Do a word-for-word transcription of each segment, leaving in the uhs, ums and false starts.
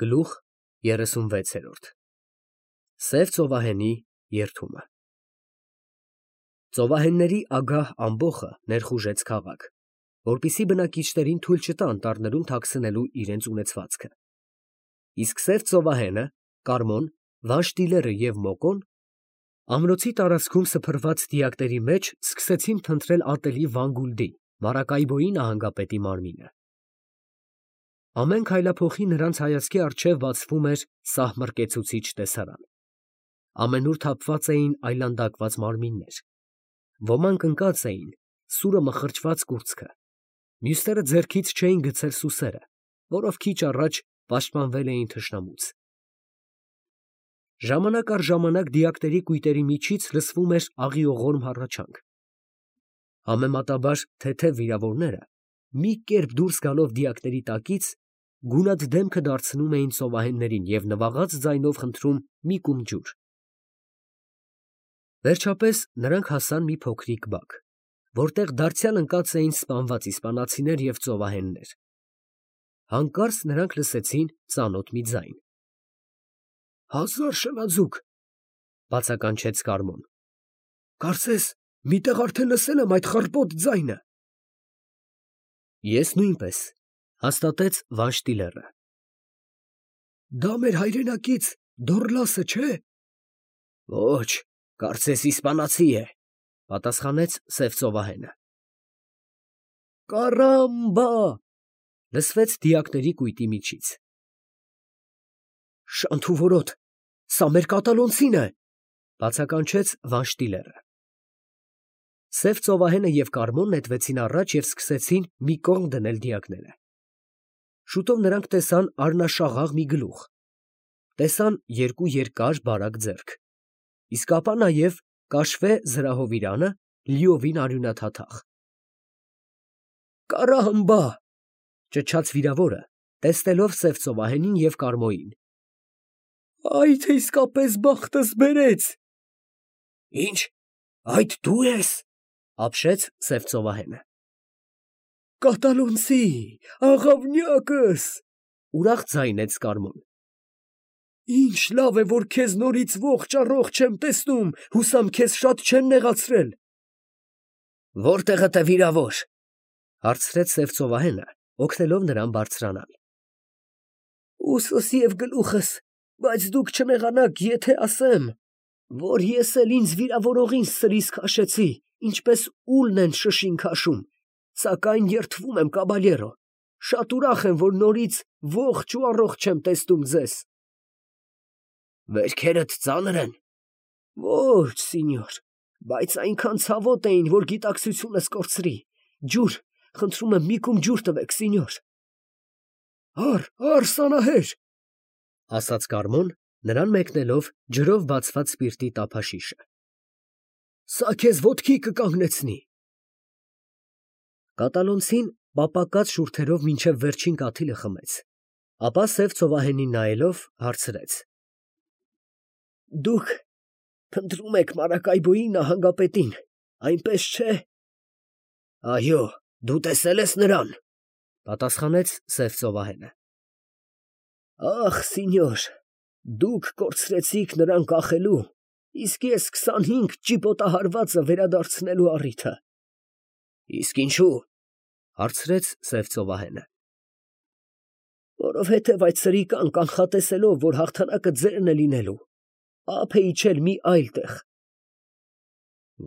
Գլուխ երեսունվեց։ Սև ծովահենի երդումը։ Ծովահենների ագահ ամբոխը ներխուժեց քաղաք, որպեսզի բնակիչներին թույլ չտա անտառներում թաքցնելու իրենց ունեցվածքը։ Իսկ սև ծովահենը, Կարմոն, Վանշտիլերը և Մոկոն ամրոցի տարածքում սփռված դիակների մեջ սկսեցին փնտրել ատելի Վանգուլդի, Մարակայբոյի նահանգապետի մարմինը։ Ամեն քայլափոխի նրանց հայացքի առջև բացվում էր սահմռկեցուցիչ տեսարան։ Ամենուր թափված էին այլանդակված մարմիններ, ոմանք ընկած էին, սուրը մխրճված կուրծքը, մյուսները ձեռքից չէին գցել սուսերը, որով քիչ առաջ պաշտպանվել էին թշնամուց։ Ժամանակ առ ժամանակ դիակների կույտերի միջից լսվում էր աղիողորմ հառաչանք։ Համեմատաբար թեթև վիրավորները, մի կերպ դուրս գալով դիակների տակից, գունատ դեմքը դարձնում էին ծովահեններին և նվաղած ձայնով խնդրում մի կում ջուր։ Վերջապես նրանք հասան մի փոքրիկ բակ, որտեղ դարձյալ ընկած էին սպանված իսպանացիներ և ծովահեններ։ Հանկարծ նրանք լսեցին ծանոթ մի ձայն։ «Հազար շնաձուկ, ֊ բացականչեց Կարմոն, ֊ կարծես մի տեղ արդեն լսել եմ այդ խռպոտ ձայնը»։ Ես նույնպես, ֊ հաստատեց Վանշտիլերը։ Դա մեր հայրենակից Դոռլասը չէ՞։ Ոչ, կարծես իսպանացի է, ֊ պատասխանեց սև ծովահենը։ Կարամբա, ֊ լսվեց դիակների կույտի միջից։ Շանթ ու որոտ, սա մեր կատալոնցին է, ֊ բացականչեց Վանշտիլերը։ Սև ծովահենը և Կարմոն նետվեցին առաջ և սկսեցին մի կողմ դնել դիակները։ Շուտով նրանք տեսան առնաշաղաղ մի գլուխ, տեսան երկու երկար բարակ ձեռք, իսկ ապա նաև կաշվե զրահովիրանը, լիովին արյունաթաթախ։ Կարամբա, ֊ ճչաց վիրավորը, տեսնելով սև ծովահենին և Կարմոյին։ Այ թե իսկապես բախտս բերեց։ Ինչ, այդ դու ես, ֊ ապշեց սև ծովահենը։ Կատալոնցի, աղավնյակս, ֊ ուրախ ձայնեց Կարմոն։ Ինչ լավ է, որ քեզ նորից ողջ առողջ եմ տեսնում, հուսամ քեզ շատ չեն նեղացրել։ Որտեղդ է վիրավոր, ֊ հարցրեց սև ծովահենը, օգնելով նրան բարձրանալ։ Ուսս և գլուխս, բայց դուք չնեղանաք, եթե ասեմ, որ ես էլ ինձ վիրավորողին սրից քաշեցի, ինչպես ուլն են շշին քաշում, սակայն երդվում եմ, կաբալյերո, շատ ուրախ եմ, որ նորից ողջ ու առողջ եմ տեսնում ձեզ։ Վերքերդ ծանր են։ Ոչ, սինյոր, բայց այնքան ցավոտ էին, որ գիտակցությունս կորցրի։ Ջուր, խնդրում եմ, մի կում ջուր տվեք, սինյոր։ Առ, առ, սանահեր, ֊ ասաց Կարմոն, նրան մեկնելով ջրով բացված սպիրտի տափաշիշը։ Սա քեզ ոտքի կկանգնեցնի։ Կատալոնցին պապակած շուրթերով մինչև վերջին կաթիլը խմեց, ապա սև ծովահենին նայելով հարցրեց. Դուք փնտրում եք Մարակայբոյի նահանգապետին, այնպես չէ։ Այո, դու տեսել ես նրան, ֊ պատասխանեց սև ծովահենը։ Ախ, սինյոր, դուք կորցրեցիք նրան կախելու, իսկ ես քսանհինգ ճիպոտահարվածը վերադարձնելու առիթը։ Իսկ ինչու, ֊ հարցրեց սև ծովահենը։ Որովհետև այդ սրիկան կանխատեսելով, որ հաղթանակը ձերն է լինելու, ափ է իջել մի այլ տեղ։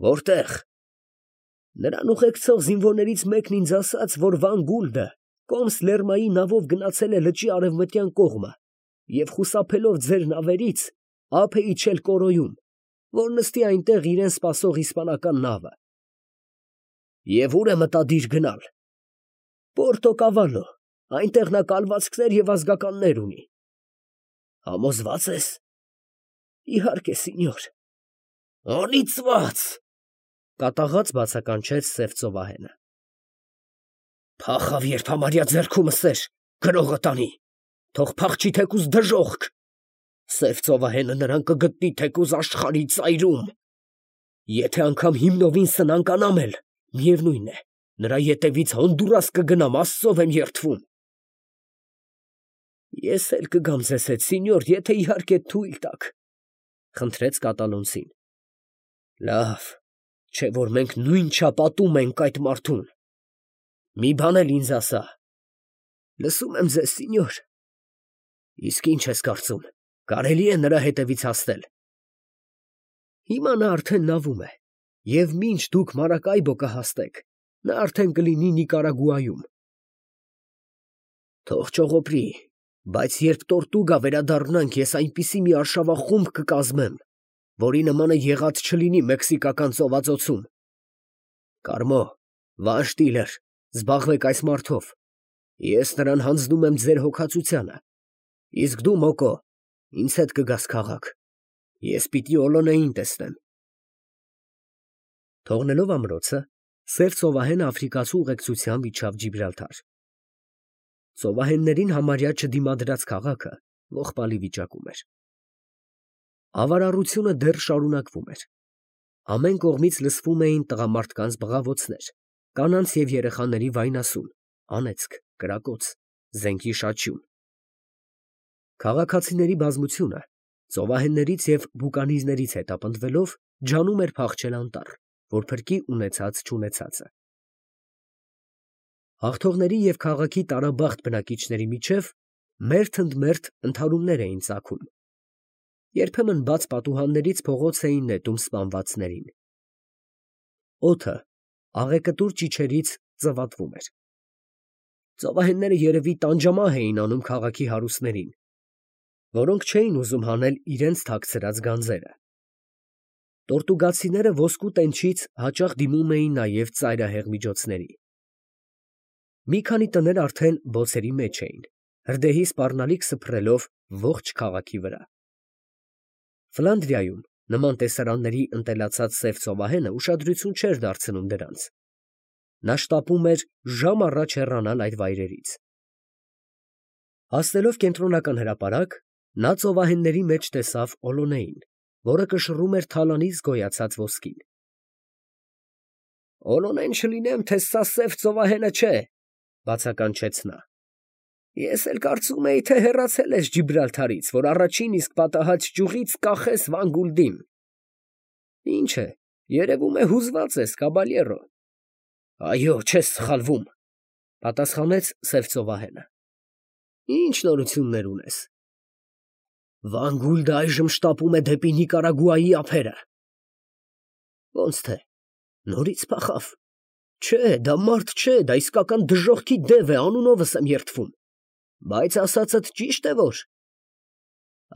Որտեղ։ Նրան ուղեկցող զինվորներից մեկն ինձ ասաց, որ Վանգուլդը կոմս Լերմայի նավով գնացել է լճի արևմտյան կողմը և խուսափելով ձեր նավերից, ափ է իջել Կորոյում, որ նստի այնտեղ իրան սպասող իսպանական նավը։ Եվ ուր է մտադիր գնալ։ Պորտոկավալո, այնտեղ նա կալվածքներ և ազգականներ ունի։ Համոզվա՞ծ ես։ Իհարկե, սինյոր։ Անիծված, ֊ կատաղած բացականչեց սև ծովահենը։ Փախավ, երբ համարյա ձեռքումս էր, գրողը տանի, թող փախչի թեկուզ դժոխք։ Սև ծովահենը նրան կգտնի թեկուզ աշխարհի ծայրում։ Եթե անգամ հիմնովին սնանկանամ էլ, միևնույն է, նրա ետևից Հոնդուրաս կգնամ, աստծով եմ երդվում։ Ես էլ կգամ ձեզ հետ, սինյոր, եթե իհարկե թույլ տաք, խնդրեց կատալոնցին։ Լավ, չէ որ մենք նույն չափ ատում ենք այդ մարդուն։ Մի բան էլ ինձ ասա։ Լսում եմ ձեզ, սինյոր։ Իսկ ինչ ես կարծում, կարելի է նրա հետևից հասնել։ Հիմա նա արդեն նավում է, և մինչ դուք Մարակայբո կհասնեք, նա արդեն կլինի Նիկարագուայում։ Թող ճողոպրի, բայց երբ Տորտուգա վերադառնանք, ես այնպիսի մի արշավախումբ կկազմեմ, որի նմանը եղած չլինի Մեքսիկական ծովածոցում։ Կարմո, Վան Շտիլեր, զբաղվեք այս մարդով, ես նրան հանձնում եմ ձեր հոգացությանը, իսկ դու, Մոկո, ինձ հետ կգաս քաղաք, ես պիտի Օլոնեին տեսնեմ։ Թողնելով ամրոցը, Սև ծովահենը աֆրիկացու ուղեկցությամբ իջավ Ջիբրալթար։ Ծովահեններին համարյա չդիմադրած քաղաքը ողբալի վիճակում էր։ Ավարառությունը դեռ շարունակվում էր։ Ամեն կողմից լսվում էին տղամարդկանց բղավոցներ, կանանց և երեխաների վայնասուն, անեծք, կրակոց, զենքի շաչյուն։ Քաղաքացիների բազմությունը ծովահեններից և բուկանիզներից հետապնդվելով ջանում էր փախչել անտառ, որ փրկի ունեցած֊չունեցածը։ Հաղթողների և քաղաքի տարաբախտ բնակիչների միջև մերթ ընդ մերթ ընդհարումներ էին ծագում։ Երբեմն բաց պատուհաններից փողոց էին նետում սպանվածներին։ Օդը աղեկտուր ճիչերից ծվատվում էր։ Ծովահենները երևի տանջամահ էին անում քաղաքի հարուստներին, որոնք չէին ուզում հանել իրենց թաքցրած գանձերը։ Տորտուգացիները ոսկու տենչից հաճախ դիմում էին նաև ծայրահեղ միջոցների։ Մի քանի տներ արդեն բոցերի մեջ էին, հրդեհի սպառնալիք սփռելով ողջ քաղաքի վրա։ Ֆլանդրիայում նման տեսարանների ընտելացած Սև ծովահենը ուշադրություն չէր դարձնում դրանց։ Նա շտապում էր ժամ առաջ հեռանալ այդ վայրերից։ Հասնելով կենտրոնական հրապարակ, նա ծովահենների մեջ տեսավ Օլոնեին, որը կշռում էր թալանից գոյացած ոսկին։ Օլոնեն չլինեմ, թե սա Սև ծովահենը չէ, բացականչեց նա։ Ես էլ կարծում էի, թե հեռացել ես Ջիբրալթարից, որ առաջին իսկ պատահած ճյուղից կախես Վանգուլդին։ Ինչ է, երևում է հուզված ես, կաբալյերո։ Այո, չես սխալվում, պատասխանեց Սև ծովահենը։ Ինչ նորություններ ունես։ Վանգուլդը այժմ շտապում է դեպի Նիկարագուայի ափերը։ Ոնց թե, նորից փախավ։ Չէ, դա մարդ չէ, դա իսկական դժոխքի դև է, անունովս եմ երդվում։ Բայց ասածդ ճիշտ է որ։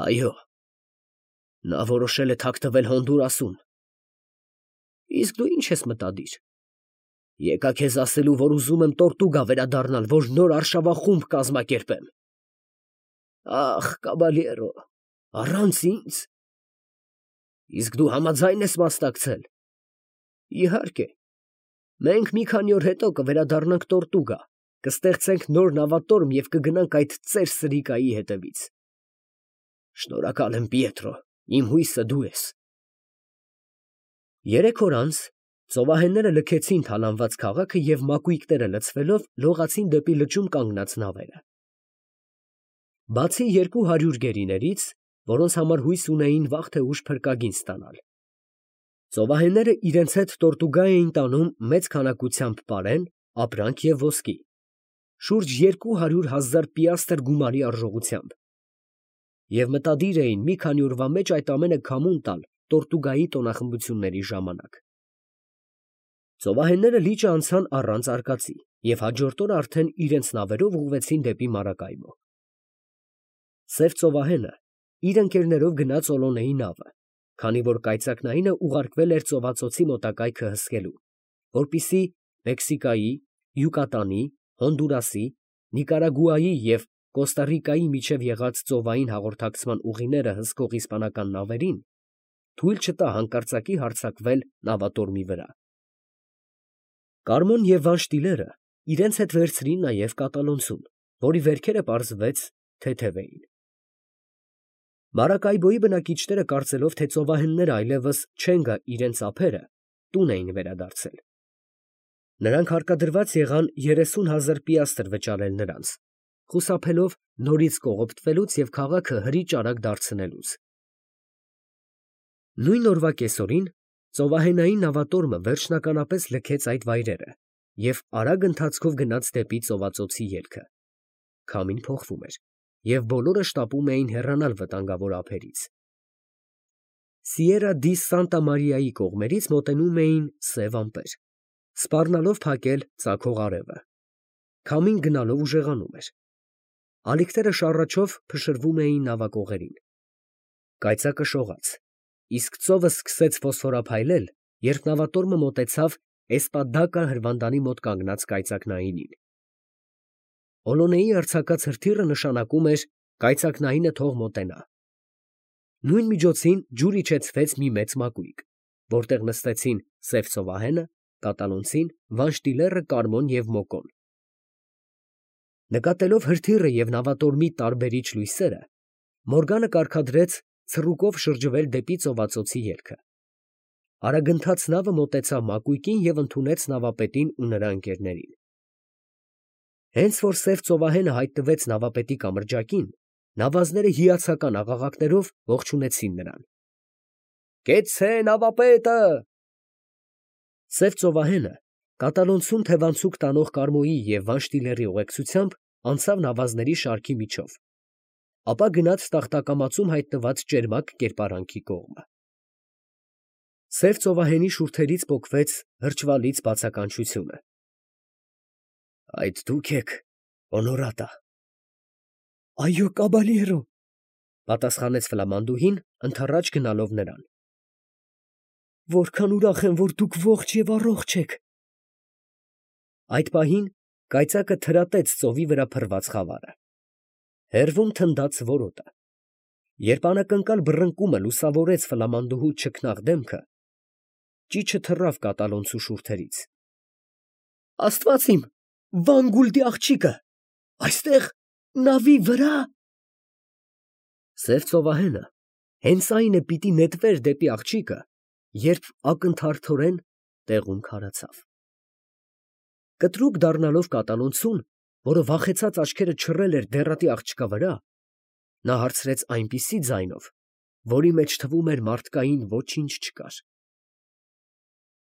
Այո, նա որոշել է թաքնվել Հոնդուրասում։ Իսկ դու ինչ ես մտադիր։ Եկա քեզ ասելու, որ ուզում եմ Տորտուգա վերադառնալ, որ նոր արշավախումբ կազմակերպեմ։ Ախ, կաբալյերո, առանց ինձ։ Իսկ դու համաձայն ես մասնակցել։ Իհարկե, մենք մի քանի օր հետո կվերադառնանք Տորտուգա, կստեղծենք նոր նավատորմ և կգնանք այդ ծեր սրիկայի հետևից։ Շնորհակալ եմ, Պիետրո, իմ հույսը դու ես։ Երեք օր անց ծովահենները լքեցին թալանված քաղաքը և մակույկները լցվելով լողացին դեպի լճում կանգնած նավերը։ Բացի երկու հարյուր գերիներից, որոնց համար հույս ունեին վաղ թե ուշ փրկագին ստանալ, ծովահենները իրենց հետ Տորտուգա էին տանում մեծ քանակությամբ պարեն, ապրանք և ոսկի, շուրջ երկու հարյուր հազար պիաստր գումարի արժողությամբ, և մտադիր էին մի քանի օրվա մեջ այդ ամենը քամուն տալ Տորտուգայի տոնախմբությունների ժամանակ։ Ծովահենները լիճը անցան առանց արկածի և հաջորդ օրը արդեն իրենց նավերով ուղղվեցին դեպի Մարակայբո։ Սև ծովահենը իր ընկերներով գնաց Օլոնեի նավը, քանի որ կայծակնայինը ուղարկվել էր ծովածոցի մոտակայքը հսկելու, որպեսզի Մեքսիկայի, Յուկատանի, Հոնդուրասի, Նիկարագուայի և Կոստարիկայի միջև եղած ծովային հաղորդակցման ուղիները հսկող իսպանական նավերին թույլ չտա հանկարծակի հարձակվել նավատորմի վրա։ Կարմոն և Վան Շտիլերը իրենց հետ վերցրին նաև կատալոնցուն, որի վերքերը պարզվեց թեթև էին։ Մարակայբոյի բնակիչները կարծելով, թե ծովահենները այլևս չեն գա իրենց ափերը, տուն էին վերադարձել։ Նրանք հարկադրված եղան երեսուն հազար պիաստր վճարել նրանց, խուսափելով նորից կողոպտվելուց և քաղաքը հրի-ճարակ դարձնելուց։ Նույն օրվա կեսօրին ծովահենային նավատորմը վերջնականապես լքեց այդ վայրերը և արագ ընթացքով գնաց դեպի ծովածոցի ելքը։ Քամին փոխվում էր, և բոլորը շտապում էին հեռանալ վտանգավոր ափերից։ Սիերա դի Սանտա Մարիայի կողմերից մոտենում էին սև ամպեր, սպառնալով փակել ծագող արևը։ Քամին գնալով ուժեղանում էր։ Ալիքները շառաչով փշրվում էին նավակողերին։ Կայծակը շողաց, իսկ ծովը սկսեց ֆոսֆորափայլել, երբ նավատորմը մոտեցավ Էսպադակա հրվանդանի մոտ կանգնած կայծակնայինին։ Օլոնեի արձակած հրթիռը նշանակում էր կայծակնայինը թող մոտենա։ Նույն միջոցին ջուր իջեցվեց մի մեծ մակույկ, որտեղ նստեցին Սև ծովահենը, կատալոնցին, Վանշտիլերը, Կարմոն և Մոկոն։ Նկատելով հրթիռը և նավատորմի տարբերիչ լույսերը, Մորգանը կարգադրեց ցռուկով շրջվել դեպի ծովածոցի ելքը։ Արագընթաց նավը մոտեցավ մակույկին և ընդունեց նավապետին ու նրա ընկերներին։ Հենց որ Սև ծովահենը հայտնվեց նավապետի կամրջակին, նավազները հիացական աղաղակներով ողջունեցին նրան։ Կեցցե նավապետը։ Սև ծովահենը կատալոնցուն թևանցուկ տանող Կարմոյի և Վանշտիլերի ուղեկցությամբ անցավ նավազների շարքի միջով, ապա գնաց տախտակամածում հայտնված ճերմակ կերպարանքի կողմը։ Սև ծովահենի շուրթերից պոկվեց հրճվալից բացականչությունը։ Այդ դուք եք, օնորատա։ Այո, կաբալյերո, պատասխանեց ֆլամանդուհին, ընդառաջ գնալով նրան։ Որքան ուրախ եմ, որ դուք ողջ և առողջ եք։ Այդ պահին կայծակը թրատեց ծովի վրա փռված խավարը։ Հեռվում թնդաց որոտը։ Երբ անակնկալ բռնկումը լուսավորեց ֆլամանդուհու չքնաղ դեմքը, ճիչը թռավ կատալոնցու շուրթերից։ Աստված իմ, Վան Գուլդի աղջիկը, այստեղ նավի վրա… Սև ծովահենը հենց այն է պիտի նետվեր դեպի աղջիկը, երբ ակնթարթորեն տեղում քարացավ։ Կտրուկ դառնալով կատալոնցուն, որը վախեցած աչքերը չռել էր դեռատի աղջկա վրա, նա հարցրեց այնպիսի ձայնով, որի մեջ թվում էր մարդկային ոչինչ չկար.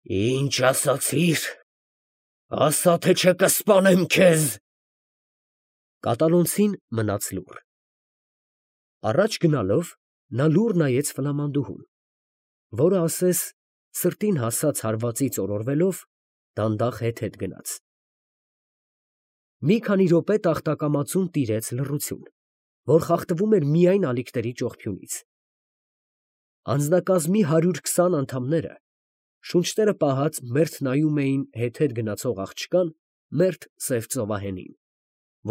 Ինչ ասացիր, ասա թե չէ կսպանեմ քեզ։ Կատալոնցին մնաց լուռ։ Առաջ գնալով նա լուռ նայեց ֆլամանդուհուն, որը ասես սրտին հասած հարվածից օրորվելով դանդաղ հետ֊հետ գնաց։ Մի քանի րոպե տախտակամածուն տիրեց լռություն, որ խախտվում էր միայն ալիքների ճողփյունից։ Անձնակազմի հարյուր քսան անդամները, շունչները պահած, մերթ նայում էին հետ֊հետ գնացող աղջկան, մերթ Սև ծովահենին,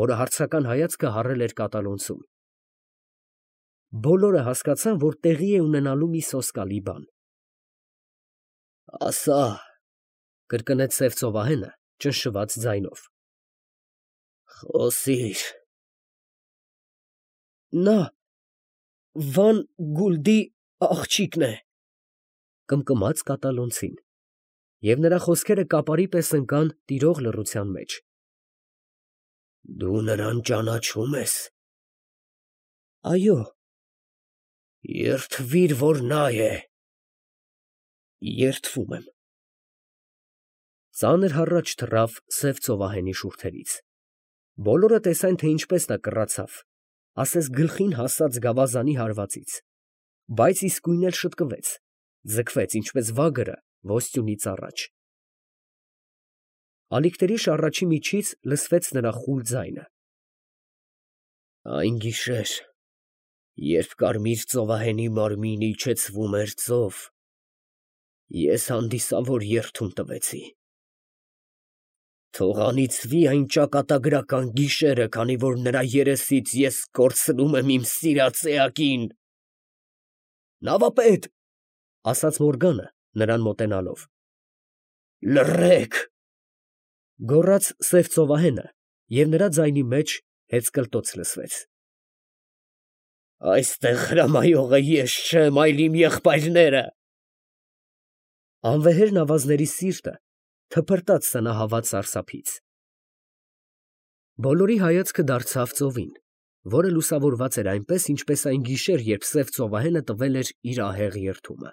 որը հարցական հայացքը հառել էր կատալոնցուն։ Բոլորը հասկացան, որ տեղի է ունենալու մի սոսկալի բան։ Ասա, կրկնեց Սև ծովահենը ճնշված ձայնով։ Խոսիր։ Նա Վան Գուլդի աղջիկն է, կմկմաց կատալոնցին, և նրա խոսքերը կապարի պես ընկան տիրող լռության մեջ։ Դու նրան ճանաչում ես։ Այո։ Երդվիր, որ նա է։ Երդվում եմ։ Ծանր հառաչ թռավ Սև ծովահենի շուրթերից։ Բոլորը տեսան, թե ինչպես նա կռացավ, ասես գլխին հասած գավազանի հարվածից, բայց իսկույն էլ շտկվեց, ձգվեց, ինչպես վագրը ոսյունից առաջ։ Ալիքների շառաչի միջից լսվեց նրա խուլ ձայնը. Այն գիշեր, երբ Կարմիր ծովահենի մարմինը իջեցվում էր ծով, ես հանդիսավոր երդում տվեցի։ Թող անիծվի այն ճակատագրական գիշերը, քանի որ նրա երեսից ես կորցնում եմ իմ սիրած էակին։ Նավապետ, ասաց Մորգանը, նրան մոտենալով։ Լռեք, գոռաց Սև ծովահենը, և նրա ձայնի մեջ հեծկլտոց լսվեց։ Այստեղ հրամայողը ես չեմ, այլ իմ եղբայրները։ Անվեհեր նավազների սիրտը թփրտաց սնահավատ սարսափից։ Բոլորի հայացքը դարձավ ծովին, որը լուսավորված էր այնպես, ինչպես այն գիշեր, երբ սև ծովահենը տվել էր իր ահեղ երդումը։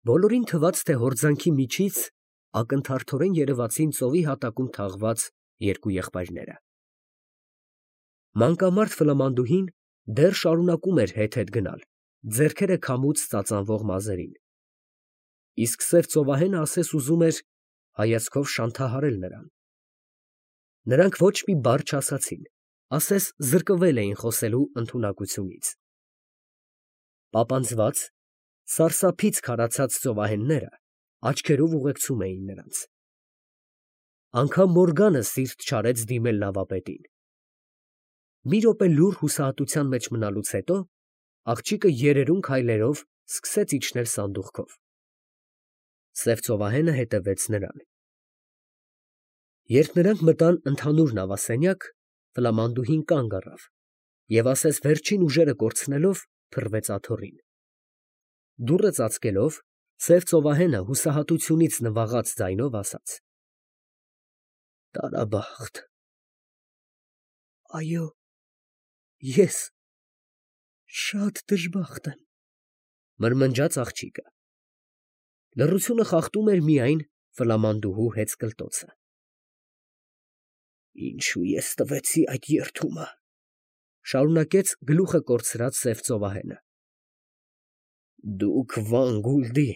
Բոլորին թվաց, թե հորձանքի միջից ակնթարթորեն երևացին ծովի հատակում թաղված երկու եղբայրները։ Մանկամարդ Ֆլամանդուհին դեռ շարունակում էր հետ-հետ գնալ, ձեռքերը քամուց ծածանվող մազերին, իսկ սև ծովահենը ասես ուզում էր հայացքով շանթահարել նրան։ Նրանք ոչ մի բառ չասացին, ասես զրկվել էին խոսելու ընդունակությունից։ Պապանձված, սարսափից քարացած ծովահենները աչքերով ուղեկցում էին նրանց։ Անգամ Մորգանը սիրտ չարեց դիմել նավապետին։ Մի րոպե լուռ հուսահատության մեջ մնալուց հետո աղջիկը երերուն քայլերով սկսեց իջնել սանդուղքով։ Սև ծովահենը հետևեց նրան։ Երբ նրանք մտան ընդհանուր նավասենյակ, Ֆլամանդուհին կանգ առավ և ասես վերջին ուժերը կորցնելով փռվեց աթոռին։ Դուռը ծածկելով, սև ծովահենը հուսահատությունից նվաղած ձայնով ասաց. «Տարաբախտ»։ Այո, ես շատ դժբախտ եմ, մրմնջաց աղջիկը։ Լռությունը խախտում էր միայն Ֆլամանդուհու հեծկլտոցը։ Ինչու ես տվեցի այդ երդումը, շարունակեց գլուխը կորցրած սև ծովահենը։ Դուք Վանգուլդի,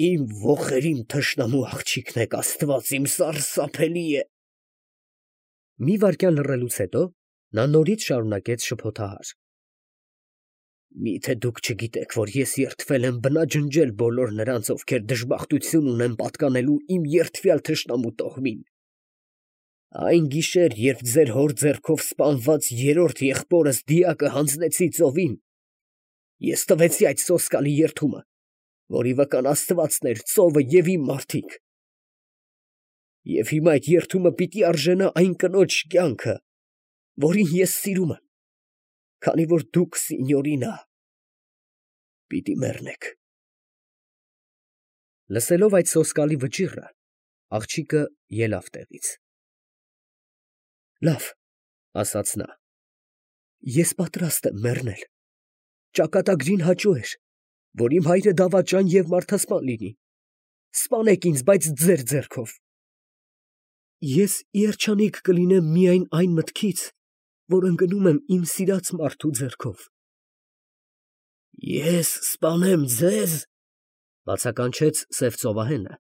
իմ ոխերիմ թշնամու աղջիկն եք, Աստված իմ, սարսափելի է։ Մի վայրկյան լռելուց հետո նա նորից շարունակեց շփոթահար. Միթե դուք չգիտեք, որ ես երդվել եմ բնաջնջել բոլոր նրանց, ովքեր դժբախտություն ունեն պատկանելու իմ երդվյալ թշնամու տոհմին։ Այն գիշեր, երբ ձեր հոր ձեռքով սպանված երրորդ եղբորս դիակը հանձնեցի ծովին, ես տվեցի այդ սոսկալի երդումը, որի վկան Աստվածն էր, ծովը և իմ մարդիկ։ Եվ հիմա այդ երդումը պիտի արժենա այն կնոջ կյանքը, որին ես սիրում եմ, քանի որ դուք, սինյորինա, պիտի մեռնեք։ Լսելով այդ սոսկալի վճիռը, աղջիկը ելավ տեղից։ Լավ, ասաց նա, ես պատրաստ եմ մեռնել։ Ճակատագրին հաճո էր, որ իմ հայրը դավաճան և մարդասպան լինի։ Սպանեք ինձ, բայց ձեր ձեռքով։ Ես երջանիկ կլինեմ միայն այն մտքից, որ ընկնում եմ իմ սիրած մարդու ձեռքով։ Ես սպանեմ ձեզ, բացականչեց սև ծովահենը,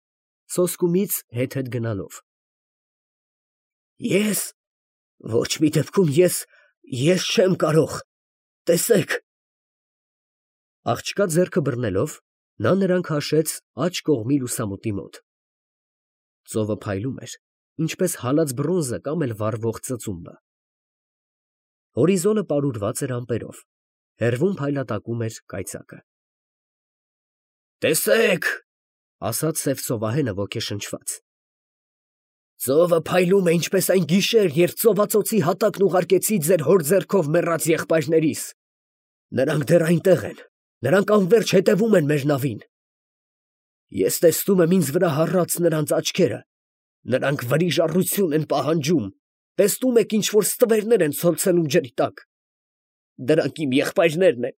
սոսկումից հետ-հետ գնալով։ Ես, ոչ մի դեպքում ես, ես չեմ կարող, տեսեք։ Աղջկա ձեռքը բռնելով, նա նրան քաշեց աջ կողմի լուսամուտի մոտ։ Ծովը փայլում էր, ինչպես հալած բրոնզը կամ էլ վառվող ծծումբը։ Հորիզոնը պարուրված էր ամպերով, հեռվում փայլատակում էր կայծակը։ Տեսեք, ասաց սև ծովահենը ոգեշնչված։ Ծովը փայլում է, ինչպես այն գիշեր, երբ ծովածոցի հատակն ուղարկեցի ձեր հոր ձեռքով մեռած եղբայրներիս։ Նրանք դեռ այնտեղ են, նրանք անվերջ հետևում են մեր նավին։ Ես տեսնում եմ ինձ վրա հառած նրանց աչքերը, նրանք վրիժառություն են պահանջում, տեսնում եք ինչ-որ ստվերներ են ցոլցնում ջրի տակ։ Դրանք իմ եղբայրներն են,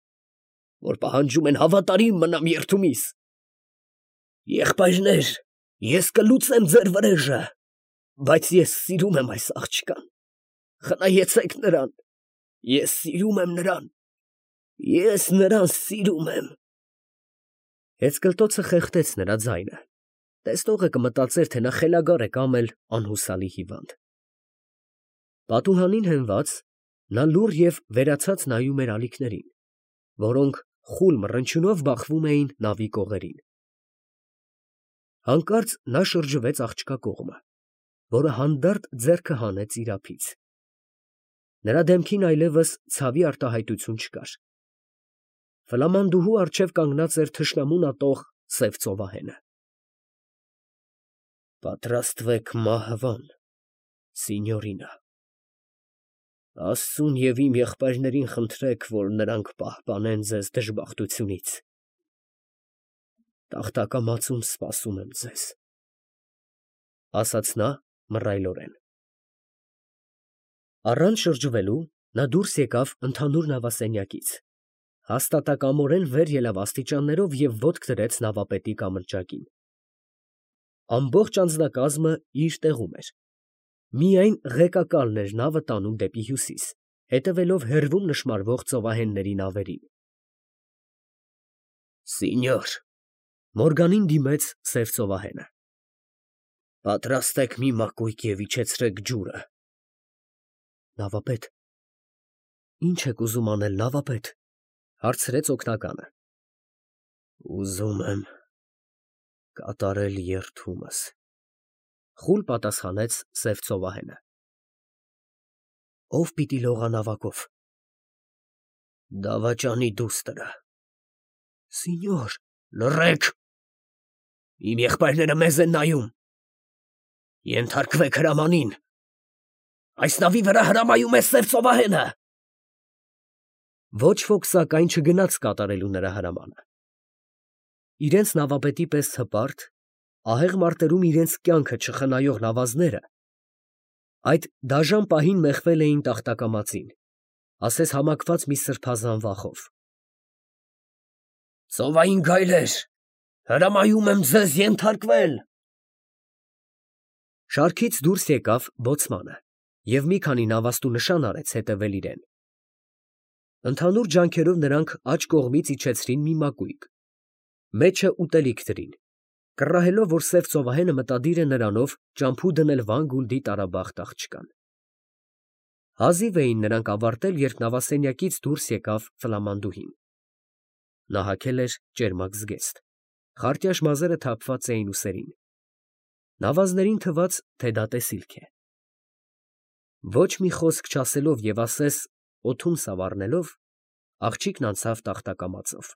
որ պահանջում են հավատարիմ մնամ երդումիս։ Եղբայրներ, ես կլուծեմ ձեր վրեժը, բայց ես սիրում եմ այս աղջկան, խնայեցեք նրան, ես սիրում եմ նրան, ես նրան սիրում եմ։ Հեծկլտոցը խեղդեց նրա ձայնը, տեսնողը կմտածեր, թե նա խելագար է կամ էլ անհուսալի հիվանդ։ Պատուհանին հենված, նա լուռ և վերացած նայում էր ալիքներին, որոնք խուլ մռնչյունով բախվում էին նավի կողերին։ Հանկարծ նա շրջվեց աղջկա կողմը, որը հանդարտ ձեռքը հանեց իր ափից։ Նրա դեմքին այլևս ցավի արտահայտություն չկար։ Ֆլամանդուհու առջև կանգնած էր թշնամուն ատող սև ծովահենը։ Պատրաստվեք մահվան, սինյորինա։ Աստծուն և իմ եղբայրներին խնդրեք, որ նրանք պահպանեն ձեզ դժբախտությունից։ Տախտակամածում սպասում եմ ձեզ, ասաց նա մռայլորեն։ Առանց շրջվելու նա դուրս եկավ ընդհանուր նավասենյակից, հաստատակամորեն վեր ելավ աստիճաններով և ոտք դրեց նավապետի կամրջակին։ Ամբողջ անձնակազմը իր տեղում էր. միայն ղեկակալն էր նավը տանում դեպի հյուսիս, հետևելով հեռվում նշմարվող ծովահենների նավերին։ Սինյոր, Մորգանին դիմեց սև ծովահենը, պատրաստեք մի մակույկ և իջեցրեք ջուրը։ Նավապետ, ի՞նչ եք ուզում անել, նավապետ, հարցրեց օգնականը։ Ուզում եմ կատարել երդումս, խուլ պատասխանեց սև ծովահենը։ Ո՞վ պիտի լողա նավակով։ Դավաճանի դուստրը։ Սինյոր, լռեք, իմ եղբայրները մեզ են նայում։ Ենթարկվեք հրամանին, այս նավի վրա հրամայում է սև ծովահենը։ Ոչ ոք սակայն չգնաց կատարելու նրա հրամանը։ Իրենց նավապետի պես հպարտ, ահեղ մարտերում իրենց կյանքը չխնայող նավազները այդ դաժան պահին մեխվել էին տախտակամածին, ասես համակված մի սրբազան վախով։ Ծովային գայլեր, հրամայում եմ ձեզ ենթարկվել։ Շարքից դուրս եկավ բոցմանը և մի քանի նավաստու նշան արեց հետևել իրեն։ Ընդհանուր ջանքերով նրանք աջ կողմից իջեցրին մի մակույկ, մեջը ուտելիք դրին, կռահելով, որ սև ծովահենը մտադիր է նրանով ճամփու դնել Վան Գունդի տարաբախտ աղջկան։ Հազիվ էին նրանք ավարտել, երբ նավասենյակից դուրս եկավ Ֆլամանդուհին։ Նա հագել էր ճերմակ զգեստ, խարտյաշ մազերը թափված էին ուսերին։ Նավազներին թվաց, թե դա տեսիլք է։ Ոչ մի խոսք չասելով և ասես օդում սավառնելով, աղջիկն անցավ տախտակամածով։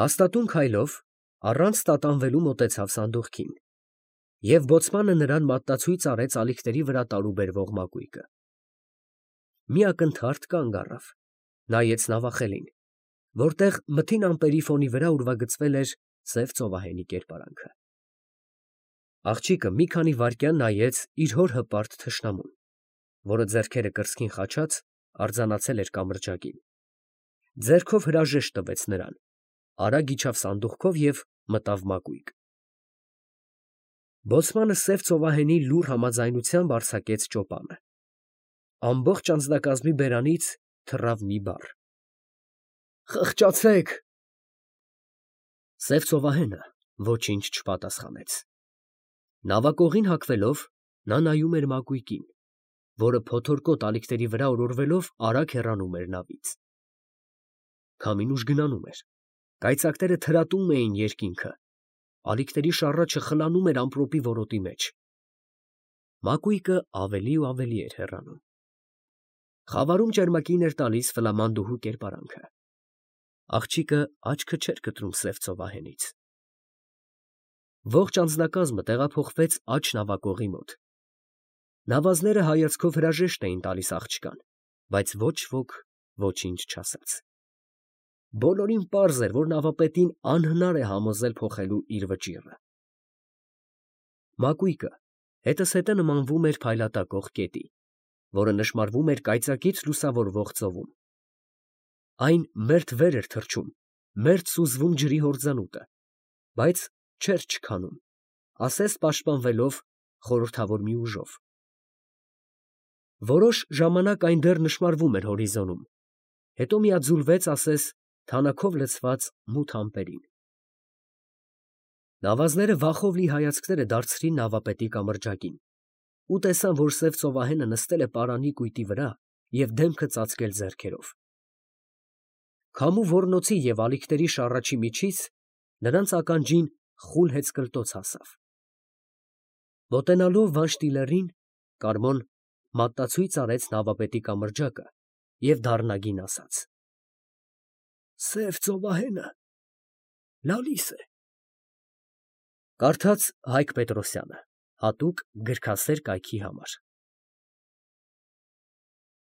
Հաստատուն քայլով, առանց տատանվելու մոտեցավ սանդուղքին, և բոցմանը նրան մատնացույց արեց ալիքների վրա տարուբերվող մակույկը։ Մի ակնթարթ կանգ առավ, նայեց նավախելին, որտեղ մթին ամպերի ֆոնի վրա ուրվագծվել էր սև ծովահենի կերպարանքը։ Աղջիկը մի քանի վայրկյան նայեց իր հոր հպարտ թշնամուն, որը ձեռքերը կրծքին խաչած արձանացել էր կամրջակին, ձեռքով հրաժեշտ տվեց նրան, արագ իջավ սանդուղքով և մտավ մակույկ։ Բոցմանը սև ծովահենի լուռ համաձայնությամբ արձակեց ճոպանը։ Ամբողջ անձնակազմի բերանից թռավ մի բառ. Խղճացեք։ Սև ծովահենը ոչինչ չպատասխանեց։ Նավակողին հագվելով նա նայում էր մակույկին, որը փոթորկոտ ալիքների վրա օրորվելով արագ հեռանում էր նավից։ Քամին ուժգնանում էր, կայծակները թրատում էին երկինքը, ալիքների շառաչը խլանում էր ամպրոպի որոտի մեջ։ Մակույկը ավելի ու ավելի էր հեռանում։ Խավարում ճերմակին էր տալիս Ֆլամանդուհու կերպարանքը։ Աղջիկը աչքը չէր կտրում սև ծովահենից։ Ողջ անձնակազմը տեղափոխվեց աջ նավակողի մոտ։ Նավազները հայացքով հրաժեշտ էին տալիս աղջկան, բայց ոչ ոք ոչինչ չասաց։ Բոլորին պարզ էր, որ նավապետին անհնար է համոզել փոխելու իր վճիռը։ Մակույկը հետզհետե նմանվում էր փայլատակող կետի, որը նշմարվում էր կայծակից լուսավորվող ծովում։ Այն մերթ վեր էր թռչում, մերթ սուզվում ջրի հորձանուտը, բայց չէր չքանում, ասես պաշտպանվելով խորհրդավոր մի ուժով։ Որոշ ժամանակ այն դեռ նշմարվում էր հորիզոնում, հետո միաձուլվեց, ասես թանաքով լցված մութ ամպերին։ Նավազները վախով լի հայացքները դարձրին նավապետի կամրջակին ու տեսան, որ սև ծովահենը նստել է պարանի կույտի վրա և դեմքը ծածկել ձեռքերով։ Քամու ոռնոցի և ալիքների շառաչի միջից նրանց ականջին խուլ հեծկլտոց հասավ։ Մոտենալով Վանշտիլերին, Կարմոն մատնացույց արեց նավապետի կամրջակը և դառնագին ասաց. Սև ծովահենը լալիս է։ Կարդաց Հայկ Պետրոսյանը, հատուկ գրքասեր կայքի համար։